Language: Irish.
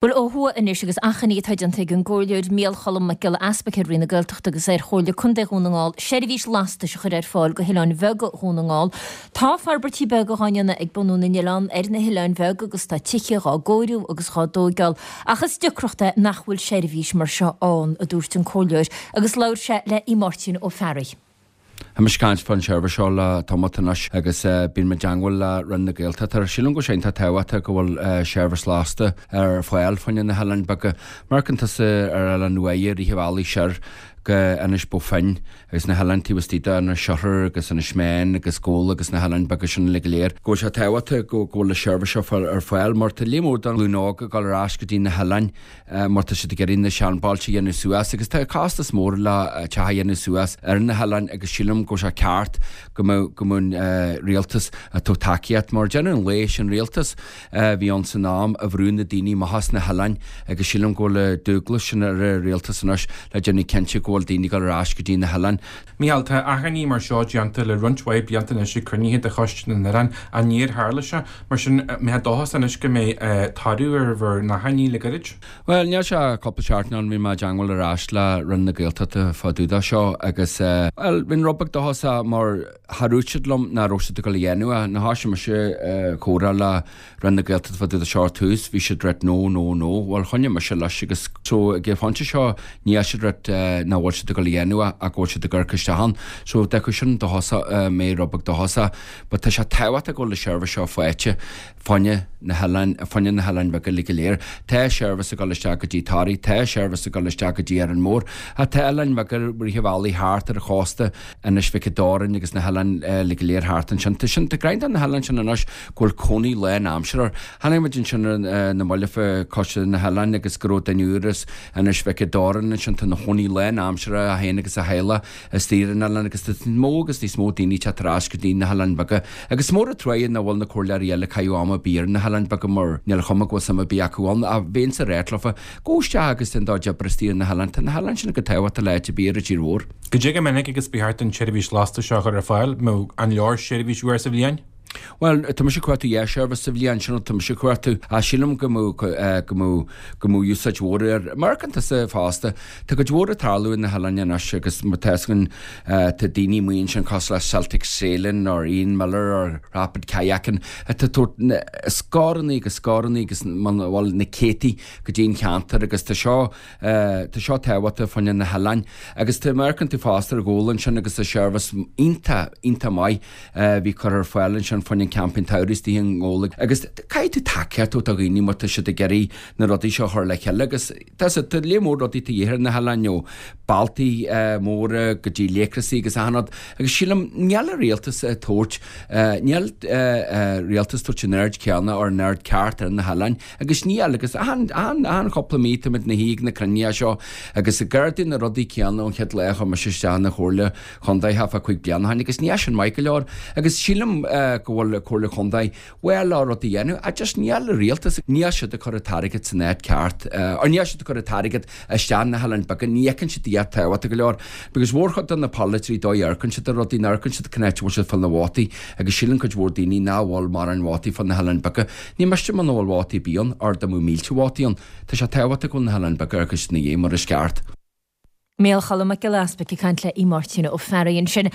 Bhuel, ó thuaidh anois agus achainí atá déanta ag an gComhairleoir Micheál Cholm Mac Giolla Easpaig ar Roinn na Gaeltachta agus ar Chomhairle Contae Dhún na nGall seirbhís lastais a chur ar fáil go hoileáin bheaga Dhún na nGall. Tá forbairtí beaga dhá ndéanamh ag bunú na n-oileán ar na hoileáin bheaga agus tá tithe dhá gcóiriú agus dhá dtóigeáil ach is deacracht é nach bhfuil seirbhís mar seo ann, a dúirt an Comhairleoir agus labhair sé le Aodh Máirtín Ó Fearraigh. Tá mise ag caint fán seirbhís seo le tamalt anois agus bíonn mé i dteangmháil le Roinn na Gaeltachta. Sílim go bhfuil sé iontach tábhachtach go bhfuil seirbhís lasta ar fáil fá choinne na hoileáin beaga. Má amharcann tusa ar Oileán Uaighe, rith an bhealaigh soir go Inis Bó Finne agus na hoileáin taobh istigh de, Inis Oirthir agus Inis Meáin agus Gabhla agus na hoileáin beaga sin uilig go léir, go bhfuil sé tábhachtach go bhfuil an seirbhís seo ar fáil mar tá líon mór den ghlúin óg ag dul ar ais go dtí na hoileáin. mar tá siad ag iarraidh na seanbhailte a dhéanamh suas agus tá costas mór le teach a dhéanamh suas ar na hoileáin agus sílim go bhfuil sé ceart go mbeadh go mbeadh an rialtas ag tabhairt tacaíocht mar deireadh an lae sin rialtas a bhí ann san am a bhrúigh na daoine amach as na hoileáin agus sílim go bhfuil an dualgas sin ar an rialtas anois le déanamh cinnte go bhfuil daoine ag dul ar ais go dtí na hoileáin. Mícheál, tá achainí mar seo déanta le roinnt mhaith blianta anois ag cruinnithe de Choiste na nOileán ach níor tharla sé. Mar sin, an mbeifeá dóchasach anois go mbeidh toradh ar bhur n-achainí le gairid? Bhuel, níl sé ach cúpla seachtain ann, bhí mé i dteangmháil ar ais le Roinn na Gaeltachta fá dtaobh de seo agus, bhuel, bhí rud beag dóchasach mar char dhúirt siad liom nach raibh siad ag dul a dhéanamh é. Nuair a thoisigh mise comhrá le Roinn na Gaeltachta fá dtaobh de seo ar tús, bhí siad ag ráit no, no, no. Bhuel, choinnigh mise leis agus so ag an phointe seo níl siad ag ráit nach bhfuil siad ag dul a dhéanamh é ach go bhfuil siad ag amharc isteach ann. So d'fhéadfadh sin dóchasach, mé rud beag dóchasach. But tá sé tábhachtach go bhfuil an seirbhís seo faighte fá choinne na hoileáin, fá choinne na hoileáin bheaga uilig go léir. Tá seirbhís ag dul isteach go dtí Toraigh, tá seirbhís ag dul isteach go dtí Árainn Mhór, ach tá oileáin bheaga rith an bhealaigh thart ar an chósta, Inis Mhic an Doirn agus na hoileáin uilig go léir thart ansin. Tá sin, tá greim de na hoileáin sin anois go bhfuil cónaí lán-aimseartha. Chonaic muid ansin ar na mallaibh fá Choiste na nOileán agus go raibh duine úr as Inis Mhic an Doirn ansin. Tá ina chónaí lán-aimseartha é féin agus a theaghlach istigh ar an oileán agus tá níos mó agus níos mó daoine ag teacht ar ais go dtí na hoileáin bheaga. Agus is mór an truaighe nach bhfuil na comhairleoirí eile ag caitheamh am ar bith ar na hoileáin bheaga mar níl an chuma go bhfuil suim ar bith acu ann. Ach bheinnse ag ráit leofa, gabh isteach agus déan do chuid oibre istigh ar na hoileáin. Tá na hoileáin sin chomh tábhachtach le áit ar bith ar an tír mhór. Goidé chomh minic agus ba cheart an tseirbhís lastais seo a chur ar fáil, mbeadh an leor seirbhís uair sa bhliain? Bhuel, tá mise ag cuartú dhá sheirbhís sa bhliain, sin tá mise ag cuartú. Ach sílim go mbeadh, go mbeadh, go mbeadh úsáid mhór air. Mar amharcann tusa fosta, tá cuid mhór ag tarlú ar na hoileáin anois agus má tá fhios againn, tá daoine amuigh ansin cosúil le Celtic Sailing or Ian Miller or Rapid Kayaking atá ag tabhairt na scórannaí agus scórannaí agus, bhuel, na céadtaí go dtí an cheantar agus tá seo, Tá seo tábhachtach fá choinne na hoileáin agus tá, má amharcann tú fosta ar Ghabhla ansin agus tá seirbhís iontach, iontach maith a bhí curtha ar fáil ansin fá choinne an campaí an tsamhraidh istigh i nGabhla agus caithfidh tú tacaíocht a thabhairt do dhaoine má tá siad ag iarraidh na rudaí seo a chur le chéile agus tá tá léar mór rudaí de dhíth ar na hoileáin ó bealtaí móra go dtí léacrasaí agus achan rud agus sílim níl an rialtas ag tabhairt níl rialtas tabhairt an aird céanna or an aird ceart ar na hoileáin. Agus níl, agus achan, achan, achan chúpla mí táimid ina shuí ag na cruinnithe seo agus ag ardú na rudaí céanna ón chéad lá a chuaigh mise isteach ina chomhairle chontae thart fá 5 bliana ó shin agus níl sin maith go leor agus sílim go bhfuil an comhairle chontae bhuel á rud a dhéanamh ach just níl an rialtas, níl siad ag cur an t-airgead san áit ceart or níl siad ag cur an t-airgead isteach na hoileáin beaga, ní fheiceann siad iad tábhachtach go leor because mhórchuid de na polaiteoirí dóigh a amharcann siad ar rudaí, ní amharcann siad cén áit a bhfuil siad ag fáil na vótaí agus síleann cuid mhór daoine nach bhfuil mórán vótaí fá na hoileáin beaga. Ní miste muna bhfuil vótaí ar bith ann, or dá mbeadh mílte vótaí ann. Tá sé tábhachtach go bhfuil na hoileáin beaga ar cuid na dhiaidh mar is ceart. Micheál Cholm Mac Giolla Easpaig ag caint le Aodh Máirtín Ó Fearraigh ansin.